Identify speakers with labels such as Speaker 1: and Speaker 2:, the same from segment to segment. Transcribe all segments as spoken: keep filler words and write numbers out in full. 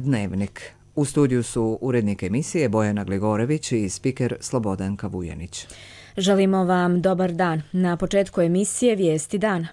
Speaker 1: Dnevnik. U studiju su urednik emisije Bojana Gligorević i spiker Slobodanka Vujanić.
Speaker 2: Želimo vam dobar dan. Na početku emisije Vijesti dana.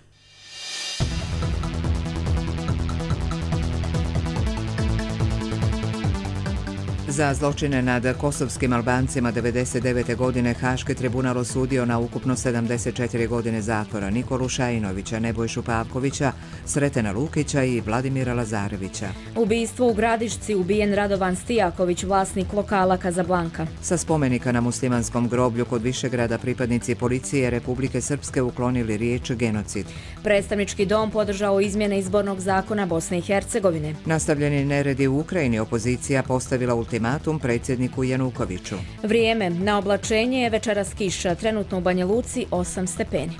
Speaker 1: Za zločine nad kosovskim Albancima devedeset devete. godine Haški tribunal osudio na ukupno sedamdeset četiri godine zatvora Nikolu Šajinovića, Nebojšu Pavkovića, Sretena Lukića i Vladimira Lazarevića.
Speaker 2: Ubistvo u Gradišci, ubijen Radovan Stijaković, vlasnik lokala Kazablanka.
Speaker 1: Sa spomenika na muslimanskom groblju kod Višegrada pripadnici policije Republike Srpske uklonili riječ genocid.
Speaker 2: Predstavnički dom podržao izmjene izbornog zakona Bosne i Hercegovine.
Speaker 1: Nastavljeni neredi u Ukrajini, opozicija postavila ultimatum predsjedniku Janukoviću.
Speaker 2: Vrijeme na oblačenje je večeras kiša, trenutno u Banja Luci osam stepeni.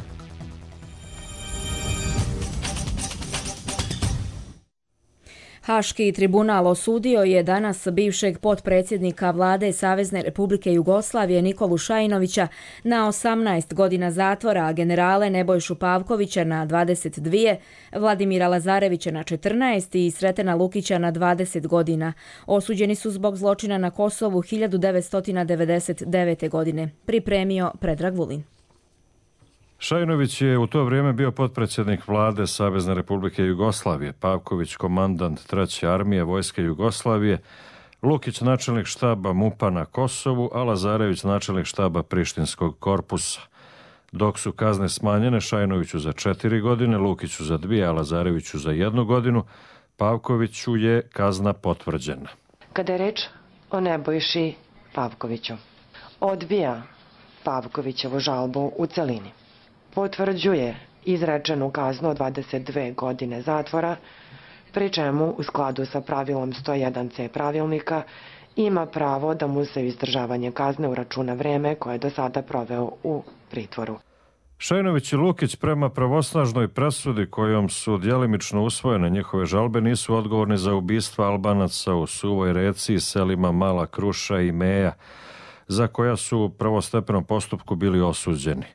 Speaker 2: Haški tribunal osudio je danas bivšeg potpredsjednika vlade Savezne Republike Jugoslavije Nikolu Šajinovića na osamnaest godina zatvora, a generale Nebojšu Pavkovića na dvadeset dvije, Vladimira Lazarevića na četrnaest i Sretena Lukića na dvadeset godina. Osuđeni su zbog zločina na Kosovu hiljadu devetsto devedeset devete. godine. Pripremio Predrag Vulin.
Speaker 3: Šajinović je u to vrijeme bio potpredsjednik vlade Savezne Republike Jugoslavije, Pavković komandant treće armije Vojske Jugoslavije, Lukić načelnik štaba MUP-a na Kosovu, a Lazarević načelnik štaba Prištinskog korpusa. Dok su kazne smanjene Šajinoviću za četiri godine, Lukiću za dvije, a Lazareviću za jednu godinu, Pavkoviću je kazna potvrđena.
Speaker 4: Kada je reč o Nebojši Pavkoviću, odbija Pavkovićevu žalbu u celini. Potvrđuje izrečenu kaznu od dvadeset dve godine zatvora, pri čemu u skladu sa pravilom sto jedan ce pravilnika ima pravo da mu se izdržavanje kazne uračuna vreme koje je do sada proveo u pritvoru.
Speaker 3: Šajinović i Lukić prema pravosnažnoj presudi kojom su djelimično usvojene njihove žalbe nisu odgovorni za ubistva Albanaca u Suvoj Reci i selima Mala Kruša i Meja, za koja su u prvostepenom postupku bili osuđeni.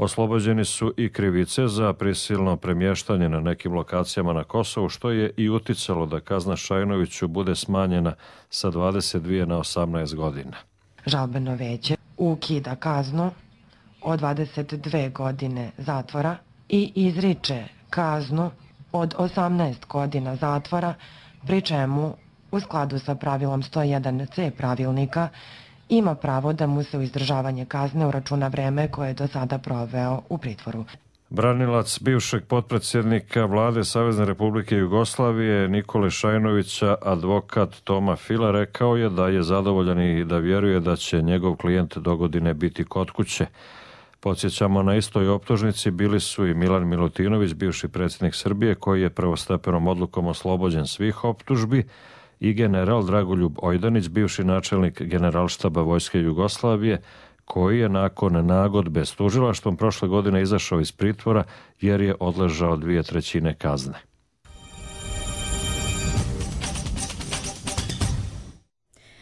Speaker 3: Oslobođeni su i krivice za prisilno premještanje na nekim lokacijama na Kosovu, što je i uticalo da kazna Šajinoviću bude smanjena sa dvadeset dvije na osamnaest godina.
Speaker 4: Žalbeno veće ukida kaznu od dvadeset dve godine zatvora i izriče kaznu od osamnaest godina zatvora, pri čemu u skladu sa pravilom sto jedan ce pravilnika ima pravo da mu se u izdržavanje kazne uračuna vreme koje je do sada proveo u pritvoru.
Speaker 3: Branilac bivšeg potpredsjednika vlade Savezne Republike Jugoslavije Nikole Šajinovića, advokat Toma Fila, rekao je da je zadovoljan i da vjeruje da će njegov klijent dogodine biti kod kuće. Podsjećamo, na istoj optužnici bili su i Milan Milutinović, bivši predsjednik Srbije, koji je prvostepenom odlukom oslobođen svih optužbi, i general Dragoljub Ojdanić, bivši načelnik Generalštaba Vojske Jugoslavije, koji je nakon nagodbe s tužilaštvom prošle godine izašao iz pritvora jer je odležao dvije trećine kazne.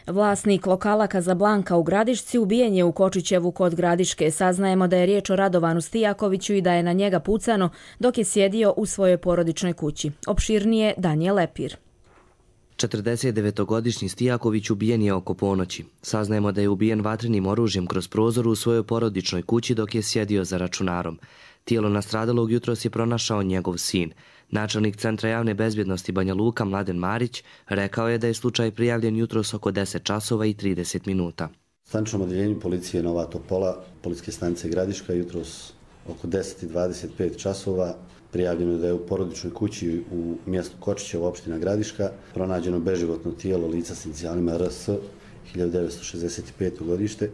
Speaker 2: Vlasnik lokala Kazablanka u Gradišci ubijen je u Kočićevu kod Gradiške. Saznajemo da je riječ o Radovanu Stijakoviću i da je na njega pucano dok je sjedio u svojoj porodičnoj kući. Opširnije Danijel Lepir.
Speaker 5: četrdesetdevetogodišnji Stijaković ubijen je oko ponoći. Saznajemo da je ubijen vatrenim oružjem kroz prozor u svojoj porodičnoj kući dok je sjedio za računarom. Tijelo nastradalog jutros je pronašao njegov sin. Načelnik Centra javne bezbjednosti Banja Luka Mladen Marić rekao je da je slučaj prijavljen jutros oko deset časova i trideset minuta.
Speaker 6: Staničnom odjeljenju policije Nova Topola, policijske stanice Gradiška, jutros oko deset i dvadeset pet časova prijavljeno je da je u porodičnoj kući u mjestu Kočićevo, opština Gradiška, pronađeno beživotno tijelo lica s inicijalima R S, hiljadu devetsto šezdeset peto. godište.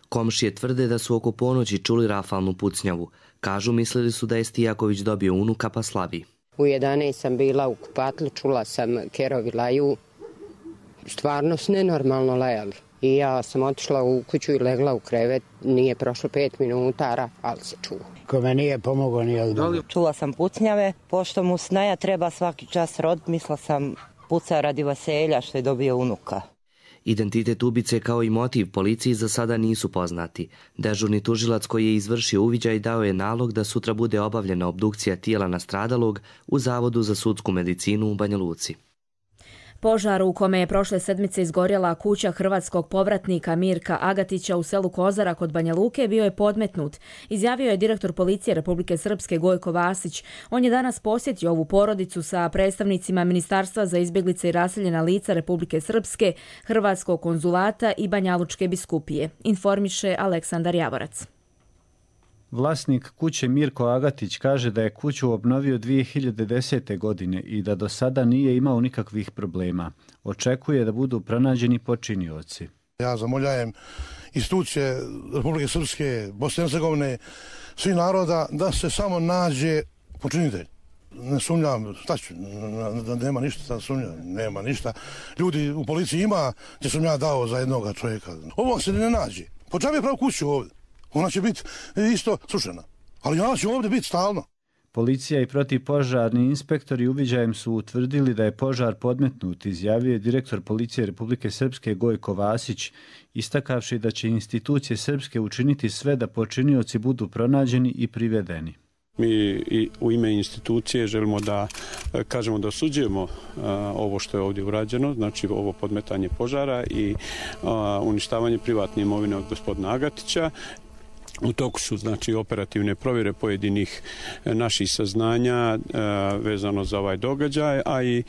Speaker 5: Komšije tvrde da su oko ponoći čuli rafalnu pucnjavu. Kažu, mislili su da je Stijaković dobio unuka pa slavi.
Speaker 7: U jedanaest sam bila u kupatlu, čula sam kerovi laju, stvarno su nenormalno lajali. I ja sam otišla u kuću i legla u krevet, nije prošlo pet minuta, ali se čuo.
Speaker 8: Kome nije pomogao, nije odmah.
Speaker 9: Čula sam pucnjave, pošto mu snaja treba svaki čas rod, mislila sam puca radi vaselja što je dobio unuka.
Speaker 5: Identitet ubice kao i motiv policiji za sada nisu poznati. Dežurni tužilac koji je izvršio uviđaj dao je nalog da sutra bude obavljena obdukcija tijela nastradalog u Zavodu za sudsku medicinu u Banja Luci.
Speaker 2: Požar u kome je prošle sedmice izgorjela kuća hrvatskog povratnika Mirka Agatića u selu Kozara kod Banja Luke bio je podmetnut, izjavio je direktor policije Republike Srpske Gojko Vasić. On je danas posjetio ovu porodicu sa predstavnicima Ministarstva za izbjeglice i raseljena lica Republike Srpske, Hrvatskog konzulata i Banjalučke biskupije, informiše Aleksandar Javorac.
Speaker 10: Vlasnik kuće Mirko Agatić kaže da je kuću obnovio dvije hiljade desete. godine i da do sada nije imao nikakvih problema. Očekuje da budu pronađeni počinioci.
Speaker 11: Ja zamoljajem institucije Republike Srpske, Bosne i Hercegovine, svi naroda da se samo nađe počinitelj. Ne sumnjam, šta ću, nema ništa da sumnjam, nema ništa. Ljudi u policiji ima, gdje sam ja dao za jednoga čovjeka. Ovo se ne nađe. Po čemu je pravo kuću ovdje? Ona će biti isto srušena, ali ona će ovdje biti stalno.
Speaker 10: Policija i protivpožarni inspektori uviđajem su utvrdili da je požar podmetnut, izjavio je direktor policije Republike Srpske Gojko Vasić, istakavši da će institucije srpske učiniti sve da počinioci budu pronađeni i privedeni.
Speaker 12: Mi i u ime institucije želimo da kažemo da osuđujemo ovo što je ovdje urađeno, znači ovo podmetanje požara i uništavanje privatne imovine od gospodina Agatića. U toku su znači operativne provjere pojedinih naših saznanja vezano za ovaj događaj, a i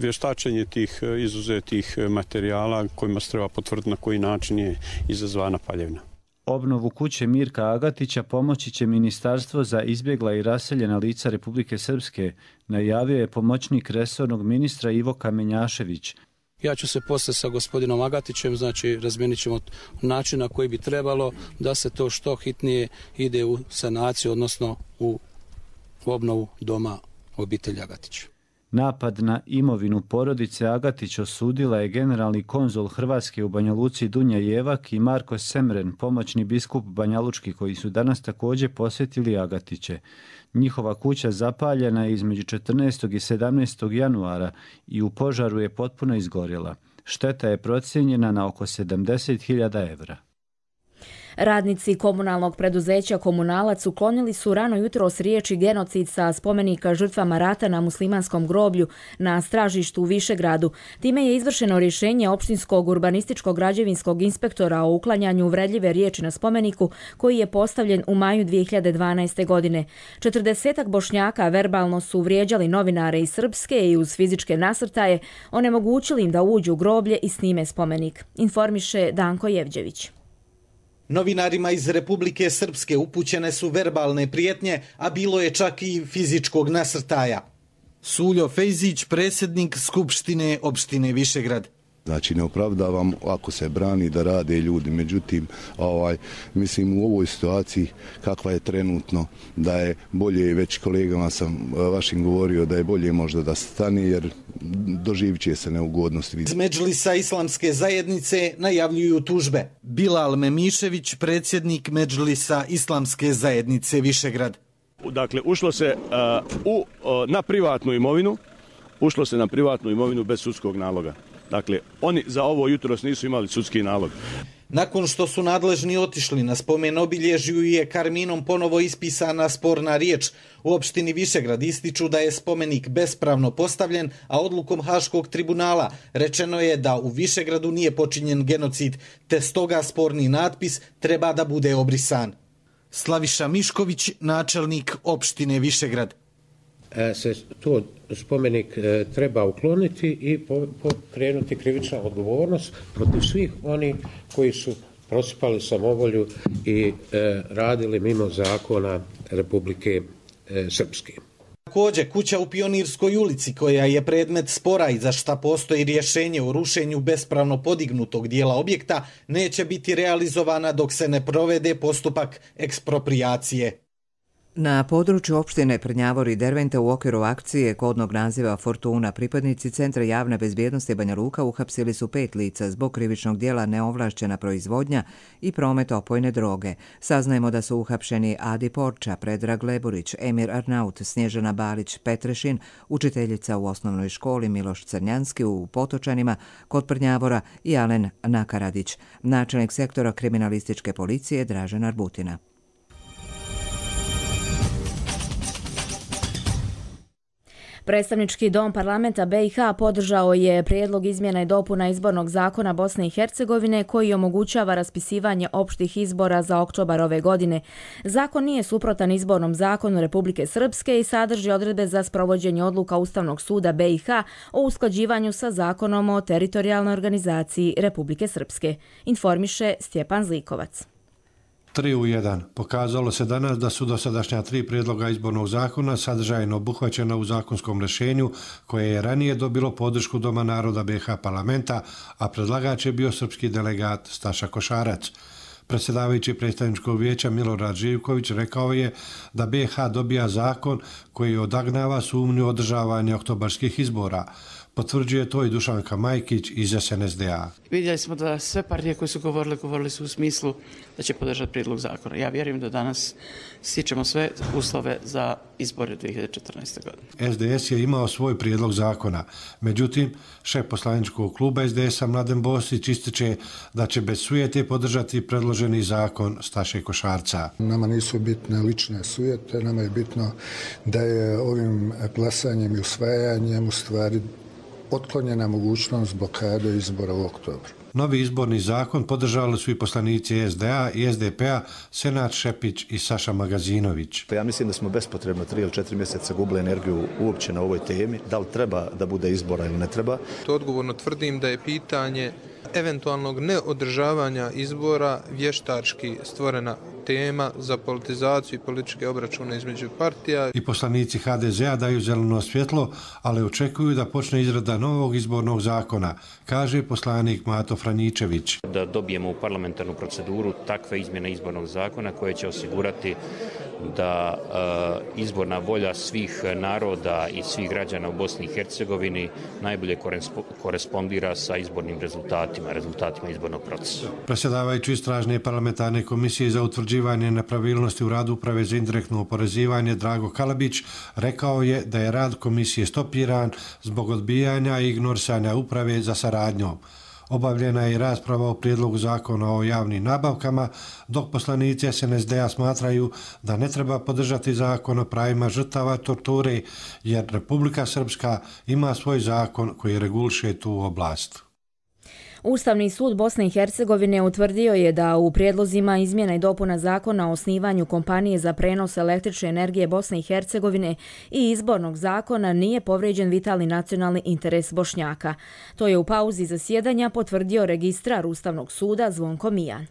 Speaker 12: vještačenje tih izuzetih materijala kojima se treba potvrditi na koji način je izazvana paljevina.
Speaker 10: Obnovu kuće Mirka Agatića pomoći će Ministarstvo za izbjegla i raseljena lica Republike Srpske, najavio je pomoćnik resornog ministra Ivo Kamenjašević.
Speaker 13: Ja ću se poslije sa gospodinom Agatićem, znači razmijenit ćemo način na koji bi trebalo da se to što hitnije ide u sanaciju, odnosno u obnovu doma obitelji Agatić.
Speaker 10: Napad na imovinu porodice Agatić osudila je generalni konzul Hrvatske u Banja Luci Dunja Jevak i Marko Semren, pomoćni biskup Banjalučki, koji su danas također posjetili Agatiće. Njihova kuća zapaljena je između četrnaestog i sedamnaestog januara i u požaru je potpuno izgorjela. Šteta je procijenjena na oko sedamdeset hiljada evra.
Speaker 2: Radnici komunalnog preduzeća Komunalac uklonili su rano jutros riječi genocid sa spomenika žrtvama rata na muslimanskom groblju na Stražištu u Višegradu. Time je izvršeno rješenje opštinskog urbanističkog građevinskog inspektora o uklanjanju uvredljive riječi na spomeniku koji je postavljen u maju dvije hiljade dvanaeste. godine. Četrdesetak Bošnjaka verbalno su vrijeđali novinare iz Srpske i uz fizičke nasrtaje onemogućili im da uđu u groblje i snime spomenik, informiše Danko Jevđević.
Speaker 14: Novinarima iz Republike Srpske upućene su verbalne prijetnje, a bilo je čak i fizičkog nasrtaja. Suljo Fejzić, predsjednik Skupštine opštine Višegrad.
Speaker 15: Znači ne opravdavam ako se brani da rade ljudi, međutim ovaj, mislim u ovoj situaciji kakva je trenutno da je bolje, već kolegama sam vašim govorio da je bolje možda da stane jer doživit će se neugodnosti.
Speaker 14: Iz Medžlisa islamske zajednice najavljuju tužbe. Bilal Memišević, predsjednik Medžlisa islamske zajednice Višegrad.
Speaker 16: Dakle, ušlo se uh, u, uh, na privatnu imovinu, ušlo se na privatnu imovinu bez sudskog naloga. Dakle, oni za ovo jutros nisu imali sudski nalog.
Speaker 14: Nakon što su nadležni otišli na spomen obilježju je karminom ponovo ispisana sporna riječ. U opštini Višegrad ističu da je spomenik bespravno postavljen, a odlukom Haškog tribunala rečeno je da u Višegradu nije počinjen genocid, te stoga sporni natpis treba da bude obrisan. Slaviša Mišković, načelnik opštine Višegrad.
Speaker 17: Se to spomenik treba ukloniti i pokrenuti krivična odgovornost protiv svih oni koji su prosipali samovolju i radili mimo zakona Republike Srpske.
Speaker 14: Također, kuća u Pionirskoj ulici, koja je predmet spora i za šta postoji rješenje o rušenju bespravno podignutog dijela objekta, neće biti realizovana dok se ne provede postupak eksproprijacije.
Speaker 1: Na području opštine Prnjavor i Derventa u okviru akcije kodnog naziva Fortuna pripadnici Centra javne bezbjednosti Banja Luka uhapsili su pet lica zbog krivičnog dijela neovlašćena proizvodnja i promet opojne droge. Saznajemo da su uhapšeni Adi Porča, Predrag Leburić, Emir Arnaut, Snježana Balić Petrešin, učiteljica u osnovnoj školi Miloš Crnjanski u Potočanima kod Prnjavora i Alen Nakaradić, načelnik sektora kriminalističke policije Dražen Arbutina.
Speaker 2: Predstavnički dom parlamenta B i H podržao je prijedlog izmjena i dopuna izbornog zakona Bosne i Hercegovine koji omogućava raspisivanje opštih izbora za oktobar ove godine. Zakon nije suprotan izbornom zakonu Republike Srpske i sadrži odredbe za sprovođenje odluka Ustavnog suda B i H o usklađivanju sa zakonom o teritorijalnoj organizaciji Republike Srpske, informiše Stjepan Zlikovac.
Speaker 18: tri u jedan. Pokazalo se danas da su dosadašnja tri prijedloga izbornog zakona sadržajno obuhvaćena u zakonskom rješenju koje je ranije dobilo podršku Doma naroda B i H parlamenta, a predlagač je bio srpski delegat Staša Košarac. Predsjedavajući predstavničkog vijeća Milorad Živković rekao je da B i H dobija zakon koji odagnava sumnju održavanja oktobarskih izbora. Potvrđuje to i Dušanka Majkić iz S N S D A.
Speaker 19: Vidjeli smo da sve partije koje su govorile, govorili su u smislu da će podržati prijedlog zakona. Ja vjerujem da danas stičemo sve uslove za izbore dvije hiljade četrnaeste. godine.
Speaker 18: S D S je imao svoj prijedlog zakona. Međutim, šef poslaničkog kluba S D S-a Mladen Bosić ističe da će bez sujete podržati predloženi zakon Staše Košarca.
Speaker 20: Nama nisu bitne lične sujete, nama je bitno da je ovim glasanjem i usvajanjem u stvari otklonjena mogućnost blokade izbora u oktobru.
Speaker 18: Novi izborni zakon podržali su i poslanici S D A i S D P-a Senad Šepić i Saša Magazinović.
Speaker 21: Ja mislim da smo bespotrebno tri ili četiri mjeseca gubili energiju uopće na ovoj temi. Da li treba da bude izbora ili ne treba?
Speaker 22: To odgovorno tvrdim da je pitanje eventualnog neodržavanja izbora vještački stvorena tema za politizaciju i političke obračune između partija.
Speaker 18: I poslanici H D Z-a daju zeleno svjetlo, ali očekuju da počne izrada novog izbornog zakona, kaže poslanik Mato Franjičević.
Speaker 23: Da dobijemo u parlamentarnu proceduru takve izmjene izbornog zakona koje će osigurati da e, izborna volja svih naroda i svih građana u Bosni i Hercegovini najbolje korespondira sa izbornim rezultatima, rezultatima izbornog procesa.
Speaker 18: Predsjedavajući istražne parlamentarne komisije za utvrđivanje nepravilnosti u radu Uprave za indirektno oporezivanje Drago Kalabić rekao je da je rad komisije stopiran zbog odbijanja i ignorisanja uprave za saradnjom. Obavljena je i rasprava o prijedlogu zakona o javnim nabavkama, dok poslanici S N S D-a smatraju da ne treba podržati zakon o pravima žrtava torture, jer Republika Srpska ima svoj zakon koji reguliše tu oblast.
Speaker 2: Ustavni sud Bosne i Hercegovine utvrdio je da u prijedlozima izmjena i dopuna zakona o osnivanju kompanije za prenos električne energije Bosne i Hercegovine i izbornog zakona nije povrijeđen vitalni nacionalni interes Bošnjaka. To je u pauzi zasjedanja potvrdio registrar Ustavnog suda Zvonko Mijan.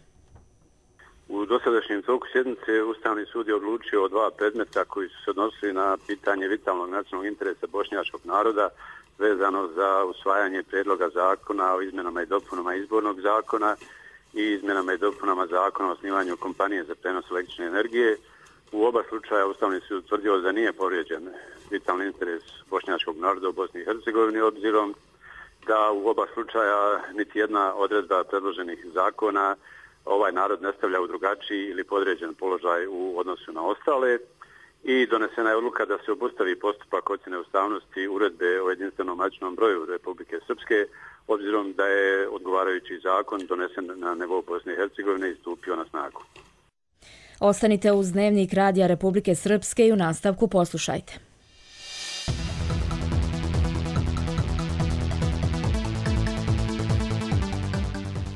Speaker 24: U dosadašnjem toku sjednice Ustavni sud je odlučio o dva predmeta koji su se odnosili na pitanje vitalnog nacionalnog interesa bošnjačkog naroda vezano za usvajanje prijedloga zakona o izmjenama i dopunama izbornog zakona i izmjenama i dopunama zakona o osnivanju kompanije za prenos električne energije. U oba slučaja Ustavni sud utvrdio da nije povrijeđen vitalni interes bošnjačkog naroda u Bosni i Hercegovini, obzirom da u oba slučaja niti jedna odredba predloženih zakona ovaj narod ne stavlja u drugačiji ili podređen položaj u odnosu na ostale. I donesena je odluka da se obustavi postupak ocjene ustavnosti uredbe o jedinstvenom matičnom broju Republike Srpske, obzirom da je odgovarajući zakon donesen na nivou Bosne i Hercegovine i stupio na snagu.
Speaker 2: Ostanite uz Dnevnik Radija Republike Srpske i u nastavku poslušajte.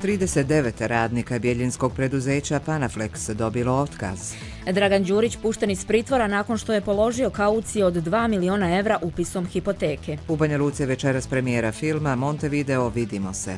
Speaker 1: trideset devet radnika bjeljinskog preduzeća Panaflex dobilo otkaz.
Speaker 2: Dragan Đurić pušten iz pritvora nakon što je položio kauciju od dva miliona evra upisom hipoteke.
Speaker 1: U Banja Luci večeras premijera filma Montevideo Vidimo se.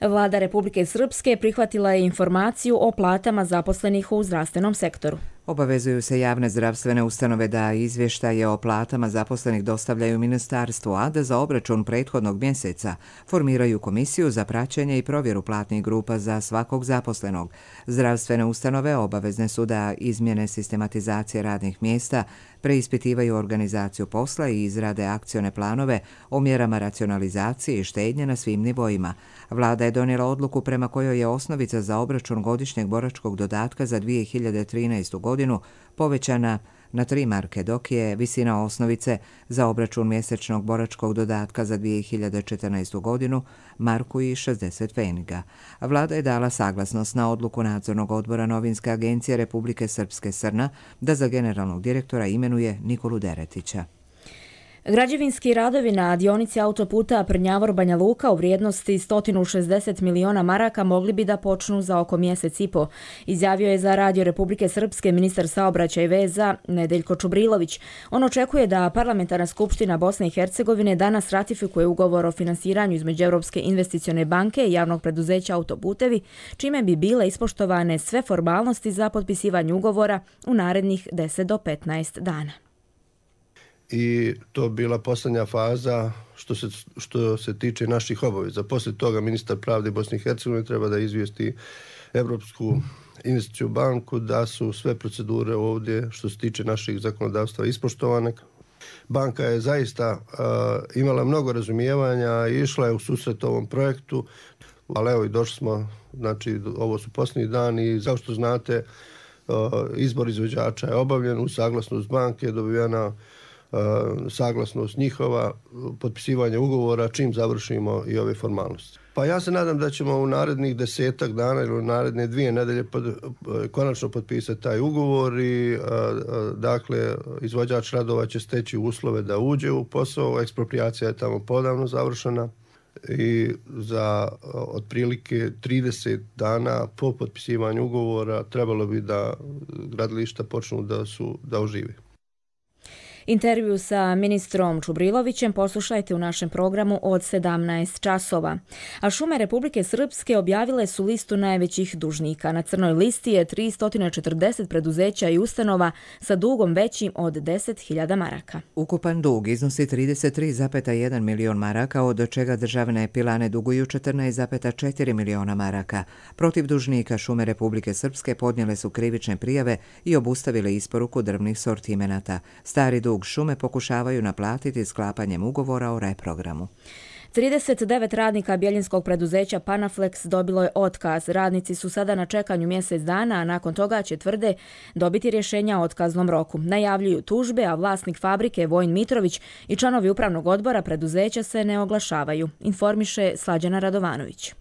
Speaker 2: Vlada Republike Srpske prihvatila je informaciju o platama zaposlenih u zdravstvenom sektoru.
Speaker 1: Obavezuju se javne zdravstvene ustanove da izvještaje o platama zaposlenih dostavljaju ministarstvu, a da za obračun prethodnog mjeseca formiraju komisiju za praćenje i provjeru platnih grupa za svakog zaposlenog. Zdravstvene ustanove obavezne su da izmjene sistematizacije radnih mjesta, preispitivaju organizaciju posla i izrade akcione planove o mjerama racionalizacije i štednje na svim nivoima. Vlada je donijela odluku prema kojoj je osnovica za obračun godišnjeg boračkog dodatka za dvije hiljade trinaestu godinu povećana na tri marke, dok je visina osnovice za obračun mjesečnog boračkog dodatka za dvije hiljade četrnaestu godinu marku i šezdeset pfeniga. Vlada je dala saglasnost na odluku nadzornog odbora Novinske agencije Republike Srpske Srna da za generalnog direktora imenuje Nikolu Deretića.
Speaker 2: Građevinski radovi na dionici autoputa Prnjavor-Banja Luka u vrijednosti sto šezdeset miliona maraka mogli bi da počnu za oko mjesec i po, izjavio je za Radio Republike Srpske ministar saobraćaja i veza Nedeljko Čubrilović. On očekuje da Parlamentarna skupština Bosne i Hercegovine danas ratifikuje ugovor o finansiranju između Europske investicione banke i javnog preduzeća Autoputevi, čime bi bile ispoštovane sve formalnosti za potpisivanje ugovora u narednih deset do petnaest dana.
Speaker 3: I to bila posljednja faza što se, što se tiče naših obaveza. Poslije toga ministar pravde Bosne i Hercegovine treba da izvijesti Europsku investicijnu banku da su sve procedure ovdje što se tiče naših zakonodavstva ispoštovane. Banka je zaista uh, imala mnogo razumijevanja i išla je u susret ovom projektu, ali evo i došli smo, znači ovo su posljednji dani i kao što znate uh, izbor izvođača je obavljen, uz saglasnost banke je dobivena saglasnost njihova, potpisivanje ugovora čim završimo i ove formalnosti. Pa ja se nadam da ćemo u narednih desetak dana ili u naredne dvije nedelje pod, konačno potpisati taj ugovor i dakle izvođač radova će steći uslove da uđe u posao, eksproprijacija je tamo podavno završena i za otprilike trideset dana po potpisivanju ugovora trebalo bi da gradilišta počnu da su da ožive.
Speaker 2: Intervju sa ministrom Čubrilovićem poslušajte u našem programu od sedamnaest časova. A šume Republike Srpske objavile su listu najvećih dužnika. Na crnoj listi je tristo četrdeset preduzeća i ustanova sa dugom većim od deset hiljada maraka.
Speaker 1: Ukupan dug iznosi trideset tri zarez jedan milion maraka, od čega državne pilane duguju četrnaest zarez četiri miliona maraka. Protiv dužnika šume Republike Srpske podnijele su krivične prijave i obustavile isporuku drvnih sortimenata. Stari dug šume pokušavaju naplatiti sklapanjem ugovora o reprogramu.
Speaker 2: trideset devet radnika bjeljinskog preduzeća Panaflex dobilo je otkaz. Radnici su sada na čekanju mjesec dana, a nakon toga će, tvrde, dobiti rješenja o otkaznom roku. Najavljuju tužbe, a vlasnik fabrike Vojin Mitrović i članovi upravnog odbora preduzeća se ne oglašavaju, informiše Slađana Radovanović.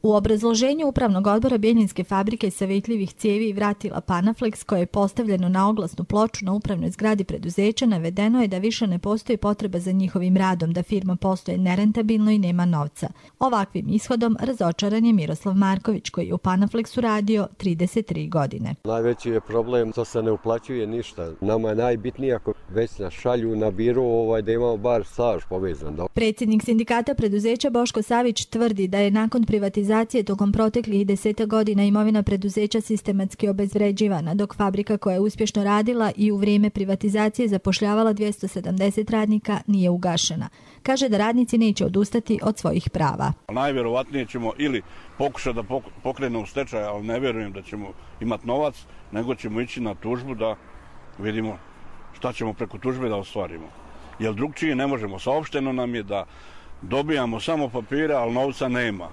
Speaker 4: U obrazloženju upravnog odbora Bjeljinske fabrike savjetljivih cijevi i vratila Panaflex, koje je postavljeno na oglasnu ploču na upravnoj zgradi preduzeća, navedeno je da više ne postoji potreba za njihovim radom, da firma postoje nerentabilno i nema novca. Ovakvim ishodom razočaran je Miroslav Marković, koji je u Panaflexu radio trideset tri godine.
Speaker 6: Najveći je problem što se ne uplaćuje ništa. Nama je najbitnije ako već nas šalju na biro ovaj, da imamo bar staž povezan.
Speaker 4: Predsjednik sindikata preduzeća Boško Savić tvrdi da je nakon privatizacije tokom proteklih deseta godina imovina preduzeća sistematski obezvređivana, dok fabrika koja je uspješno radila i u vrijeme privatizacije zapošljavala dvjesto sedamdeset radnika nije ugašena. Kaže da radnici neće odustati od svojih prava.
Speaker 7: Najvjerovatnije ćemo ili pokušati da pokrenemo stečaj, ali ne vjerujem da ćemo imati novac, nego ćemo ići na tužbu da vidimo šta ćemo preko tužbe da ostvarimo. Jer drugčije ne možemo. Saopšteno nam je da dobijamo samo papire, ali novca nema.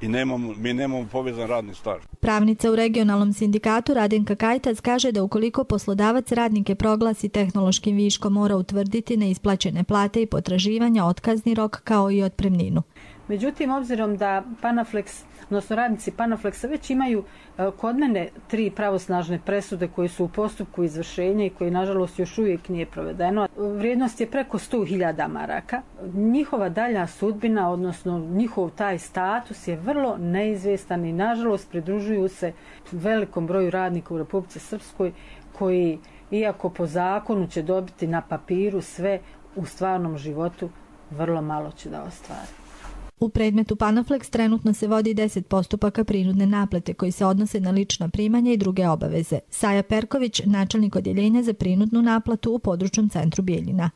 Speaker 7: I nemamo, mi nemamo povezan radni staž.
Speaker 4: Pravnica u regionalnom sindikatu Radenka Kajtac kaže da ukoliko poslodavac radnike proglasi tehnološkim viškom, mora utvrditi neisplaćene plate i potraživanja, otkazni rok kao i otpremninu.
Speaker 25: Međutim, obzirom da Panaflex, odnosno radnici Panaflexa već imaju kod mene tri pravosnažne presude koje su u postupku izvršenja i koje nažalost još uvijek nije provedeno. Vrijednost je preko sto hiljada maraka. Njihova dalja sudbina, odnosno njihov taj status je vrlo neizvjestan i nažalost pridružuju se velikom broju radnika u Republici Srpskoj koji, iako po zakonu će dobiti na papiru sve, u stvarnom životu vrlo malo će da ostvari.
Speaker 4: U predmetu Panaflex trenutno se vodi deset postupaka prinudne naplate koji se odnose na lična primanja i druge obaveze. Saja Perković, načelnik odjeljenja za prinudnu naplatu u područnom centru Bijeljina.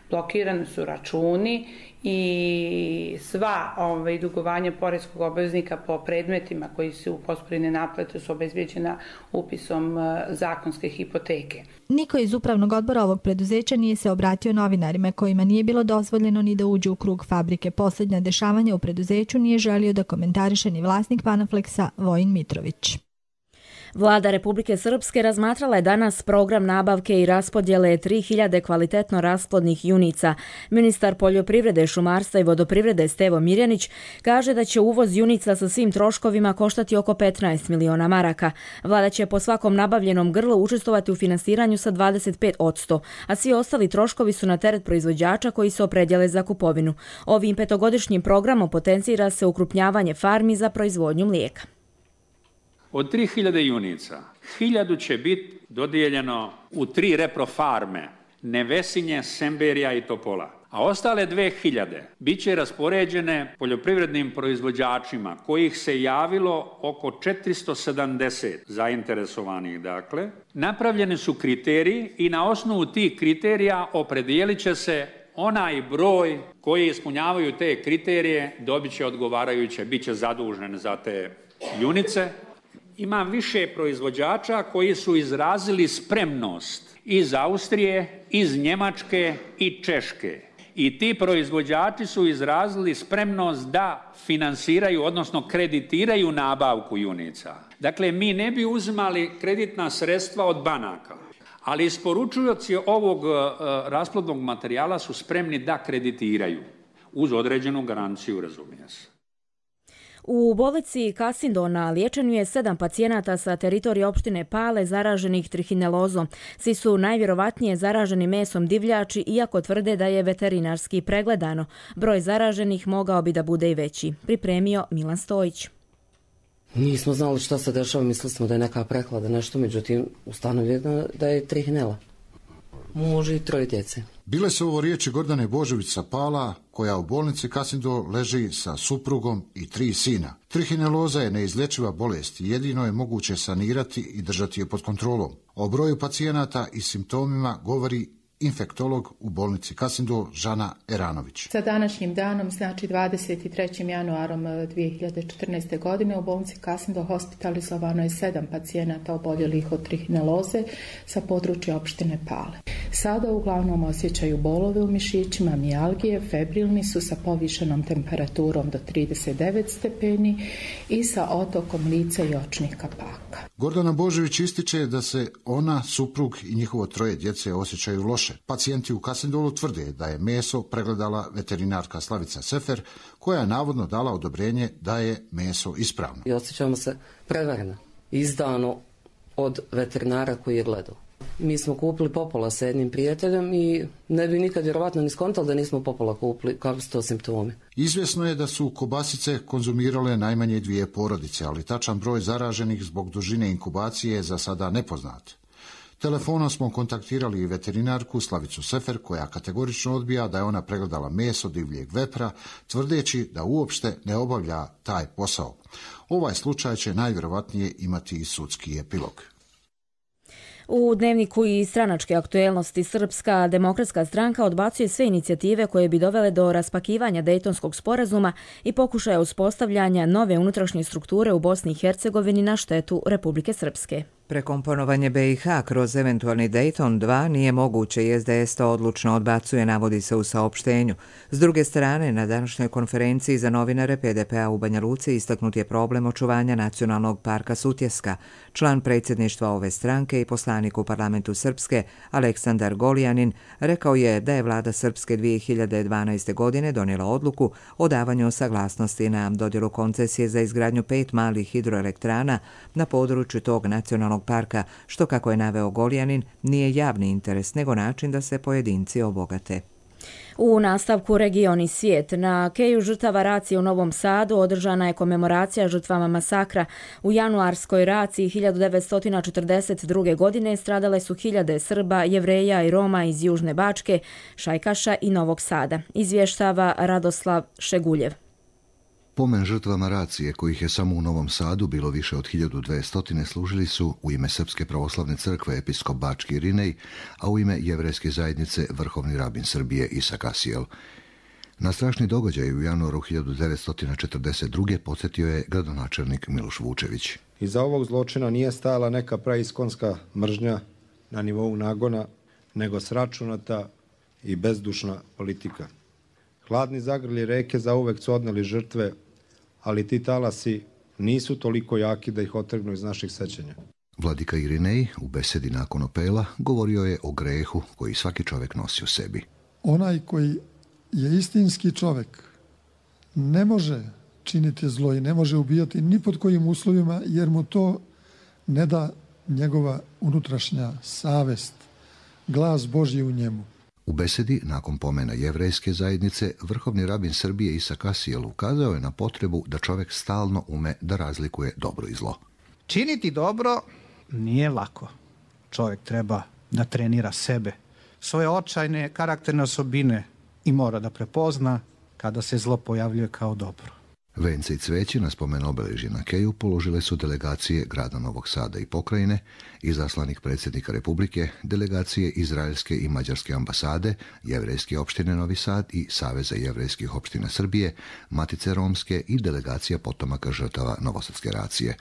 Speaker 26: Blokirani su računi i sva ovaj, dugovanja poreskog obveznika po predmetima koji su u postupku naplate su obezbijeđena upisom zakonske hipoteke.
Speaker 4: Niko iz upravnog odbora ovog preduzeća nije se obratio novinarima kojima nije bilo dozvoljeno ni da uđu u krug fabrike. Posljednja dešavanja u preduzeću nije želio da komentariše ni vlasnik Panaflexa Vojin Mitrović.
Speaker 2: Vlada Republike Srpske razmatrala je danas program nabavke i raspodjele tri hiljade kvalitetno rasplodnih junica. Ministar poljoprivrede, šumarstva i vodoprivrede Stevo Mirjanić kaže da će uvoz junica sa svim troškovima koštati oko petnaest miliona maraka. Vlada će po svakom nabavljenom grlu učestvovati u finansiranju sa dvadeset pet posto, a svi ostali troškovi su na teret proizvođača koji se opredjele za kupovinu. Ovim petogodišnjim programom potencira se ukrupnjavanje farmi za proizvodnju mlijeka.
Speaker 5: Od tri hiljade junica, hiljadu će biti dodijeljeno u tri reprofarme, Nevesinje, Semberija i Topola. A ostale dve hiljade bit će raspoređene poljoprivrednim proizvođačima kojih se javilo oko četiristo sedamdeset zainteresovanih. Dakle, napravljeni su kriteriji i na osnovu tih kriterija opredijelit će se onaj broj koji ispunjavaju te kriterije, dobit će odgovarajuće, bit će zadužen za te junice. Ima više proizvođača koji su izrazili spremnost iz Austrije, iz Njemačke i Češke. I ti proizvođači su izrazili spremnost da finansiraju, odnosno kreditiraju nabavku junica. Dakle, mi ne bi uzimali kreditna sredstva od banaka, ali isporučujoci ovog uh, rasplodnog materijala su spremni da kreditiraju uz određenu garanciju, razumije se.
Speaker 2: U bolnici Kasindo na liječenju je sedam pacijenata sa teritorije opštine Pale zaraženih trihinelozom. Svi su najvjerovatnije zaraženi mesom divljači, iako tvrde da je veterinarski pregledano. Broj zaraženih mogao bi da bude i veći. Pripremio Milan Stojić.
Speaker 8: Nismo znali šta se dešava, mislili smo da je neka prehlada, nešto, međutim ustanovljeno da je trihinela. Muž i troje djece.
Speaker 9: Bile su ovo riječi Gordane Božović sa Pala, koja u bolnici Kasindo leži sa suprugom i tri sina. Trihineloza je neizlječiva bolest i jedino je moguće sanirati i držati je pod kontrolom. O broju pacijenata i simptomima govori infektolog u bolnici Kasindo Žana Eranović.
Speaker 11: Sa današnjim danom, znači dvadeset trećim januarom dvije hiljade četrnaeste. godine, u bolnici Kasindo hospitalizovano je sedam pacijenata oboljelih od trihineloze sa područja opštine Pale. Sada uglavnom osjećaju bolove u mišićima, mijalgije, febrilni su sa povišenom temperaturom do trideset devet stepeni i sa otokom lica i očnih kapaka.
Speaker 9: Gordana Božović ističe da se ona, suprug i njihovo troje djece osjećaju loše. Pacijenti u Kasindolu tvrde da je meso pregledala veterinarka Slavica Sefer, koja je navodno dala odobrenje da je meso ispravno.
Speaker 8: I osjećamo se prevareno, izdano od veterinara koji je gledao. Mi smo kupili popola sa jednim prijateljem i ne bi nikad vjerovatno ni skontali da nismo popola kupili, kako su to simptomi.
Speaker 9: Izvjesno je da su kobasice konzumirale najmanje dvije porodice, ali tačan broj zaraženih zbog dužine inkubacije je za sada nepoznat. Telefonom smo kontaktirali i veterinarku Slavicu Sefer, koja kategorično odbija da je ona pregledala meso divljeg vepra, tvrdeći da uopšte ne obavlja taj posao. Ovaj slučaj će najvjerovatnije imati i sudski epilog.
Speaker 2: U dnevniku i stranačke aktuelnosti Srpska demokratska stranka odbacuje sve inicijative koje bi dovele do raspakivanja Dejtonskog sporazuma i pokušaja uspostavljanja nove unutrašnje strukture u Bosni i Hercegovini na štetu Republike Srpske.
Speaker 1: Prekomponovanje B i H kroz eventualni Dejton dva nije moguće i S D S to odlučno odbacuje, navodi se u saopštenju. S druge strane, na današnjoj konferenciji za novinare P D P-a u Banja Luci istaknut je problem očuvanja nacionalnog parka Sutjeska. Član predsjedništva ove stranke i poslanik u parlamentu Srpske, Aleksandar Golijanin, rekao je da je vlada Srpske dvije hiljade dvanaeste. godine donijela odluku o davanju saglasnosti na dodjelu koncesije za izgradnju pet malih hidroelektrana na području tog nacionalnog parka, što, kako je naveo Goljanin, nije javni interes, nego način da se pojedinci obogate.
Speaker 2: U nastavku Region i svijet, na keju žrtava racije u Novom Sadu održana je komemoracija žrtvama masakra. U januarskoj raciji hiljadu devetsto četrdeset druge. godine stradale su hiljade Srba, Jevreja i Roma iz Južne Bačke, Šajkaša i Novog Sada, izvještava Radoslav Šeguljev.
Speaker 12: Pomen žrtvama racije, kojih je samo u Novom Sadu bilo više od hiljadu dvesta, služili su u ime Srpske pravoslavne crkve episkop Bački Irinej, a u ime jevrejske zajednice vrhovni rabin Srbije Isak Asijel. Na strašni događaj u januaru hiljadu devetsto četrdeset druge. podsjetio je gradonačelnik Miloš Vučević.
Speaker 13: Iza ovog zločina nije stajala neka praiskonska mržnja na nivou nagona, nego sračunata i bezdušna politika. Hladni zagrlji reke zauvek su odneli žrtve, ali ti talasi nisu toliko jaki da ih otrgnu iz naših sećanja.
Speaker 12: Vladika Irinej u besedi nakon Opela govorio je o grehu koji svaki čovjek nosi u sebi.
Speaker 10: Onaj koji je istinski čovjek ne može činiti zlo i ne može ubijati ni pod kojim uslovima, jer mu to ne da njegova unutrašnja savest, glas Božji u njemu.
Speaker 12: U besedi nakon pomena jevrejske zajednice vrhovni rabin Srbije Isak Asijel ukazao je na potrebu da čovjek stalno ume da razlikuje dobro i zlo.
Speaker 14: Činiti dobro nije lako. Čovjek treba da trenira sebe, svoje očajne karakterne osobine i mora da prepozna kada se zlo pojavljuje kao dobro.
Speaker 12: Vence i cveće na spomen obeležje na Keju položile su delegacije grada Novog Sada i pokrajine, izaslanik predsjednika Republike, delegacije izraelske i mađarske ambasade, jevrejske opštine Novi Sad i Saveza jevrejskih opština Srbije, Matice romske i delegacija potomaka žrtava novosadske racije.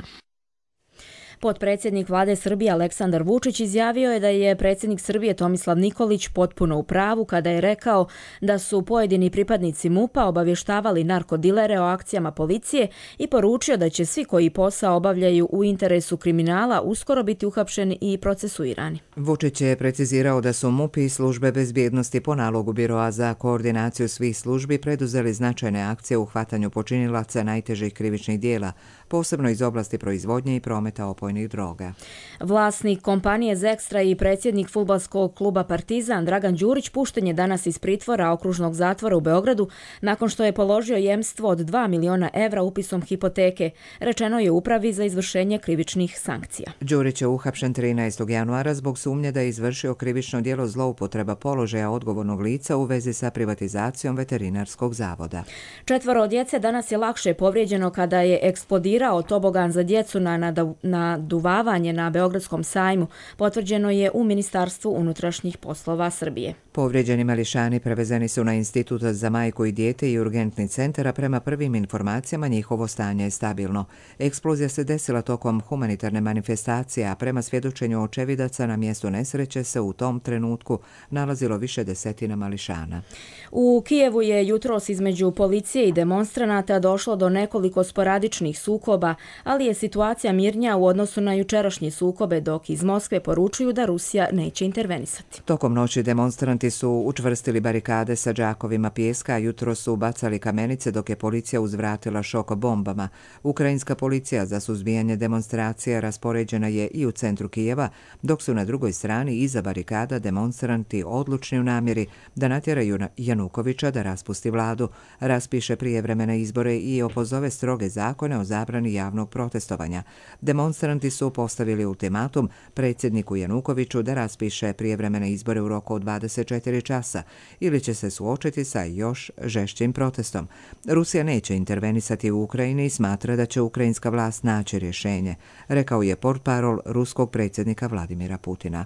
Speaker 2: Potpredsjednik vlade Srbije Aleksandar Vučić izjavio je da je predsjednik Srbije Tomislav Nikolić potpuno u pravu kada je rekao da su pojedini pripadnici MUP-a obavještavali narkodilere o akcijama policije i poručio da će svi koji posao obavljaju u interesu kriminala uskoro biti uhapšeni i procesuirani.
Speaker 1: Vučić je precizirao da su MUP i službe bezbjednosti po nalogu Biroa za koordinaciju svih službi preduzeli značajne akcije u hvatanju počinilaca najtežih krivičnih dijela, posebno iz oblasti proizvodnje i prometa opojnih droga.
Speaker 2: Vlasnik kompanije Zekstra i predsjednik fudbalskog kluba Partizan Dragan Đurić pušten je danas iz pritvora okružnog zatvora u Beogradu nakon što je položio jemstvo od dva miliona evra upisom hipoteke, rečeno je upravi za izvršenje krivičnih sankcija.
Speaker 1: Đurić je uhapšen trinaestog januara zbog sumnje da je izvršio krivično djelo zloupotreba položaja odgovornog lica u vezi sa privatizacijom veterinarskog zavoda.
Speaker 2: Četvoro djece danas je lakše povrijeđeno kada je eksplodirao tobogan za djecu na naduvavanje na Beogradskom sajmu, potvrđeno je u Ministarstvu unutrašnjih poslova Srbije.
Speaker 1: Povrijeđeni mališani prevezeni su na Institut za majku i dijete i urgentni centar, a prema prvim informacijama njihovo stanje je stabilno. Eksplozija se desila tokom humanitarne manifestacije, a prema svjedočenju očevidaca na mjestu nesreće se u tom trenutku nalazilo više desetina mališana.
Speaker 2: U Kijevu je jutros između policije i demonstranata došlo do nekoliko sporadičnih sukoba, ali je situacija mirnija u odnosu na jučerašnje sukobe, dok iz Moskve poručuju da Rusija neće intervenisati.
Speaker 1: Tokom noći demonstranti su učvrstili barikade sa džakovima pijeska, a jutro su bacali kamenice dok je policija uzvratila šok bombama. Ukrajinska policija za suzbijanje demonstracija raspoređena je i u centru Kijeva, dok su na drugoj strani iza barikada demonstranti odlučni u namjeri da natjeraju Janukovića da raspusti vladu, raspiše prijevremene izbore i opozove stroge zakone o zabrani javnog protestovanja. Demonstranti su postavili ultimatum predsjedniku Janukoviću da raspiše prijevremene izbore u roku od dvadeset četiri časa ili će se suočiti sa još žešćim protestom. Rusija neće intervenisati u Ukrajini i smatra da će ukrajinska vlast naći rješenje, rekao je portparol ruskog predsjednika Vladimira Putina.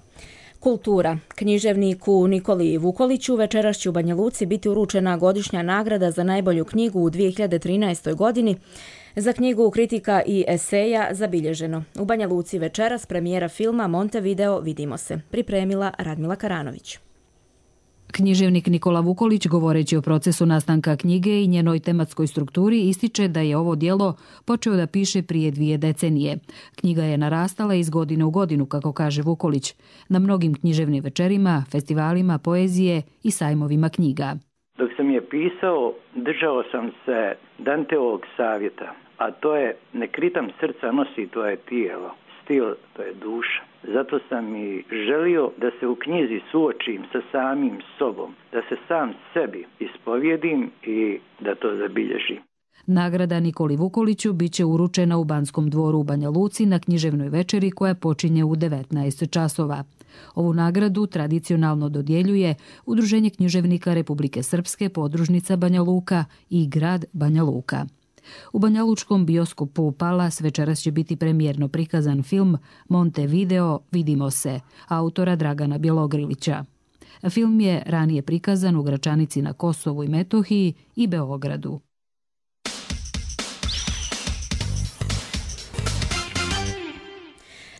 Speaker 2: Kultura. Književniku Nikoli Vukoliću večeras će u Banja Luci biti uručena godišnja nagrada za najbolju knjigu u dvije hiljade trinaestoj. godini. Za knjigu kritika i eseja zabilježeno. U Banja Luci večeras premijera filma Montevideo Vidimo se. Pripremila Radmila Karanović.
Speaker 15: Književnik Nikola Vukolić, govoreći o procesu nastanka knjige i njenoj tematskoj strukturi, ističe da je ovo djelo počeo da piše prije dvije decenije. Knjiga je narastala iz godine u godinu, kako kaže Vukolić, na mnogim književnim večerima, festivalima poezije i sajmovima knjiga.
Speaker 16: Dok sam je pisao, držao sam se Danteovog savjeta, a to je ne kritam srca nosi tvoje tijelo, stil to je duša. Zato sam i želio da se u knjizi suočim sa samim sobom, da se sam sebi ispovjedim i da to zabilježim.
Speaker 15: Nagrada Nikoli Vukoliću biće uručena u Banskom dvoru u Banja Luci na književnoj večeri koja počinje u devetnaest časova. Ovu nagradu tradicionalno dodjeljuje Udruženje književnika Republike Srpske, podružnica Banja Luka i grad Banja Luka. U banjalučkom bioskopu Palas večeras će biti premijerno prikazan film Montevideo Vidimo se, autora Dragana Bjelogrilića. Film je ranije prikazan u Gračanici na Kosovu i Metohiji i Beogradu.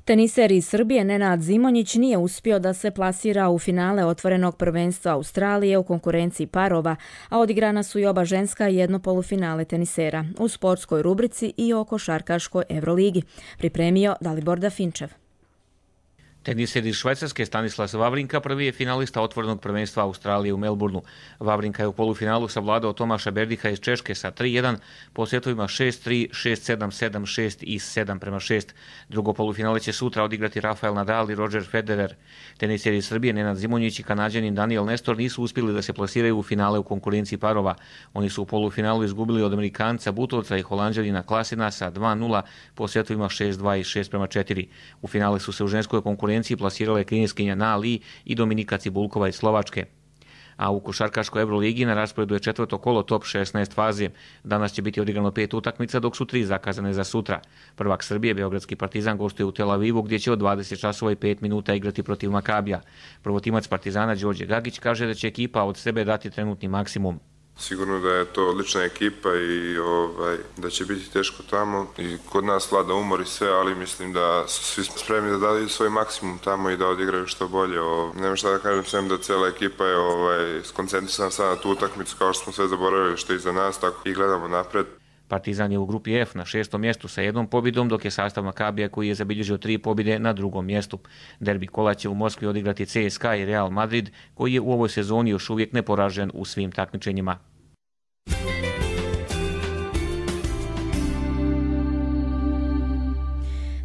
Speaker 2: Teniser iz Srbije Nenad Zimonjić nije uspio da se plasira u finale otvorenog prvenstva Australije u konkurenciji parova, a odigrana su i oba ženska i jedno polufinale tenisera u sportskoj rubrici i o košarkaškoj Euroligi. Pripremio Dalibor Dafinčev.
Speaker 17: Teniser iz Švajcarske Stanislas Wawrinka prvi je finalista otvorenog prvenstva Australije u Melbourneu. Wawrinka je u polufinalu savladao Tomaša Berdiha iz Češke sa tri jedan po setovima šest tri, šest sedam, sedam šest i sedam prema šest. Drugo polufinale će sutra odigrati Rafael Nadal i Roger Federer. Teniseri iz Srbije Nenad Zimonjić i Kanađanin Daniel Nestor nisu uspjeli da se plasiraju u finale u konkurenciji parova. Oni su u polufinalu izgubili od Amerikanca Butovca i Holanđanina Klasina sa dva nula po setovima šest dva i šest prema četiri. U finale su se u ženskoj konkurenciji plasirale kineskinja Na Li i Dominika Cibulkova iz Slovačke. A u košarkaškoj Euroligi na rasporedu je četvrto kolo top šesnaest faze. Danas će biti odigrano pet utakmica, dok su tri zakazane za sutra. Prvak Srbije, Beogradski Partizan, gostuje u Tel Avivu, gdje će od dvadeset časova i pet minuta igrati protiv Makabija. Prvotimac Partizana Đorđe Gagić kaže da će ekipa od sebe dati trenutni maksimum.
Speaker 19: Sigurno da je to odlična ekipa i ovaj, da će biti teško tamo i kod nas vlada umor i sve, ali mislim da su svi spremni da daju svoj maksimum tamo i da odigraju što bolje. O, nema šta da kažem, sem da cijela ekipa je ovaj, skoncentrisana sad na tu utakmicu, kao što smo sve zaboravili što je iza nas, tako i gledamo napred.
Speaker 17: Partizan je u grupi F na šestom mjestu sa jednom pobjedom, dok je sastav Makabija koji je zabilježio tri pobjede na drugom mjestu. Derbi kola će u Moskvi odigrati C S K A i Real Madrid, koji je u ovoj sezoni još uvijek neporažen u svim takmičenjima.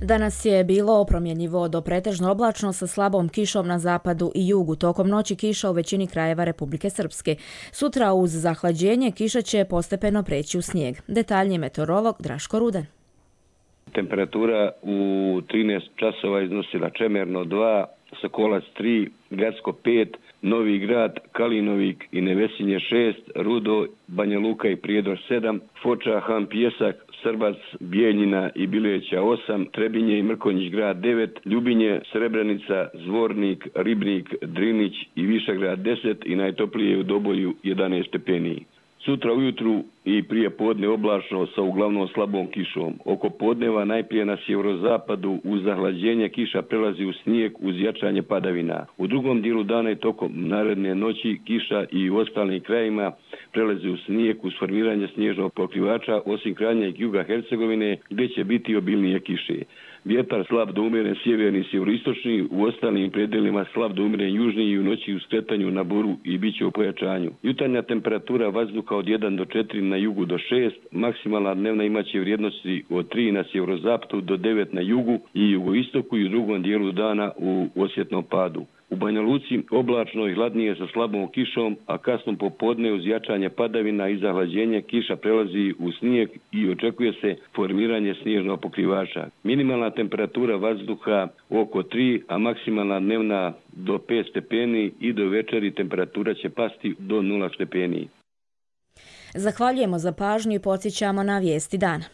Speaker 2: Danas je bilo promjenjivo do pretežno oblačno sa slabom kišom na zapadu i jugu. Tokom noći kiša u većini krajeva Republike Srpske. Sutra uz zahlađenje kiša će postepeno preći u snijeg. Detaljniji meteorolog Draško Rudan.
Speaker 20: Temperatura u trinaest časova iznosila Čemerno dva, Sokolac tri, Gacko pet, Novi Grad, Kalinovik i Nevesinje šest, Rudo, Banja Luka i Prijedor sedam, Foča, Han Pjesak, Srbac, Bijeljina i Bileća osam, Trebinje i Mrkonjić grad devet, Ljubinje, Srebrenica, Zvornik, Ribnik, Drinić i Višegrad deset i najtoplije u Dobolju jedanaest stepeni. Sutra ujutru i prije podne oblačno sa uglavnom slabom kišom. Oko podneva najprije na sjeverozapadu uz zahlađenje kiša prelazi u snijeg uz jačanje padavina. U drugom dijelu dana i tokom naredne noći kiša i u ostalim krajima prelazi u snijeg uz formiranje snježnog pokrivača osim krajnjeg juga Hercegovine gdje će biti obilnije kiše. Vjetar slab do umjeren sjeverni i sjeveroistočni, u ostalim predelima slab do umjeren južni i u noći u skretanju na boru i bit će u pojačanju. Jutarnja temperatura vazduha od jedan do četiri na jugu do šest, maksimalna dnevna imaće vrijednosti od tri na sjeverozapadu do devet na jugu i jugoistoku i u drugom dijelu dana u osjetnom padu. U Banja Luci oblačno i hladnije sa slabom kišom, a kasno popodne uz jačanje padavina i zahlađenje kiša prelazi u snijeg i očekuje se formiranje snježnog pokrivača. Minimalna temperatura vazduha oko tri, a maksimalna dnevna do pet stepeni i do večeri temperatura će pasti do nula stepeni.
Speaker 2: Zahvaljujemo za pažnju i podsjećamo na vijesti dana.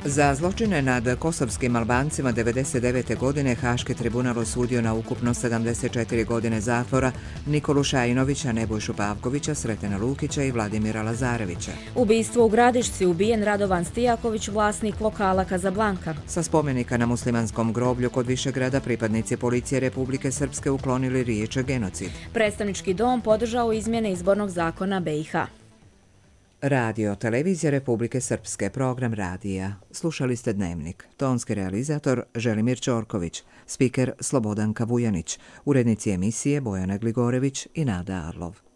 Speaker 1: Za zločine nad kosovskim Albancima devedeset devete. godine Haški tribunal osudio na ukupno sedamdeset četiri godine zatvora Nikolu Šajinovića, Nebojšu Pavkovića, Sretena Lukića i Vladimira Lazarevića.
Speaker 2: Ubistvo u Gradišci, ubijen Radovan Stijaković, vlasnik lokala Kazablanka.
Speaker 1: Sa spomenika na muslimanskom groblju kod Višegrada pripadnici policije Republike Srpske uklonili riječ genocid.
Speaker 2: Predstavnički dom podržao izmjene izbornog zakona B i H.
Speaker 1: Radio, televizija Republike Srpske, program radija. Slušali ste Dnevnik. Tonski realizator Želimir Ćorković, spiker Slobodan Kavujanić, urednici emisije Bojana Gligorević i Nada Arlov.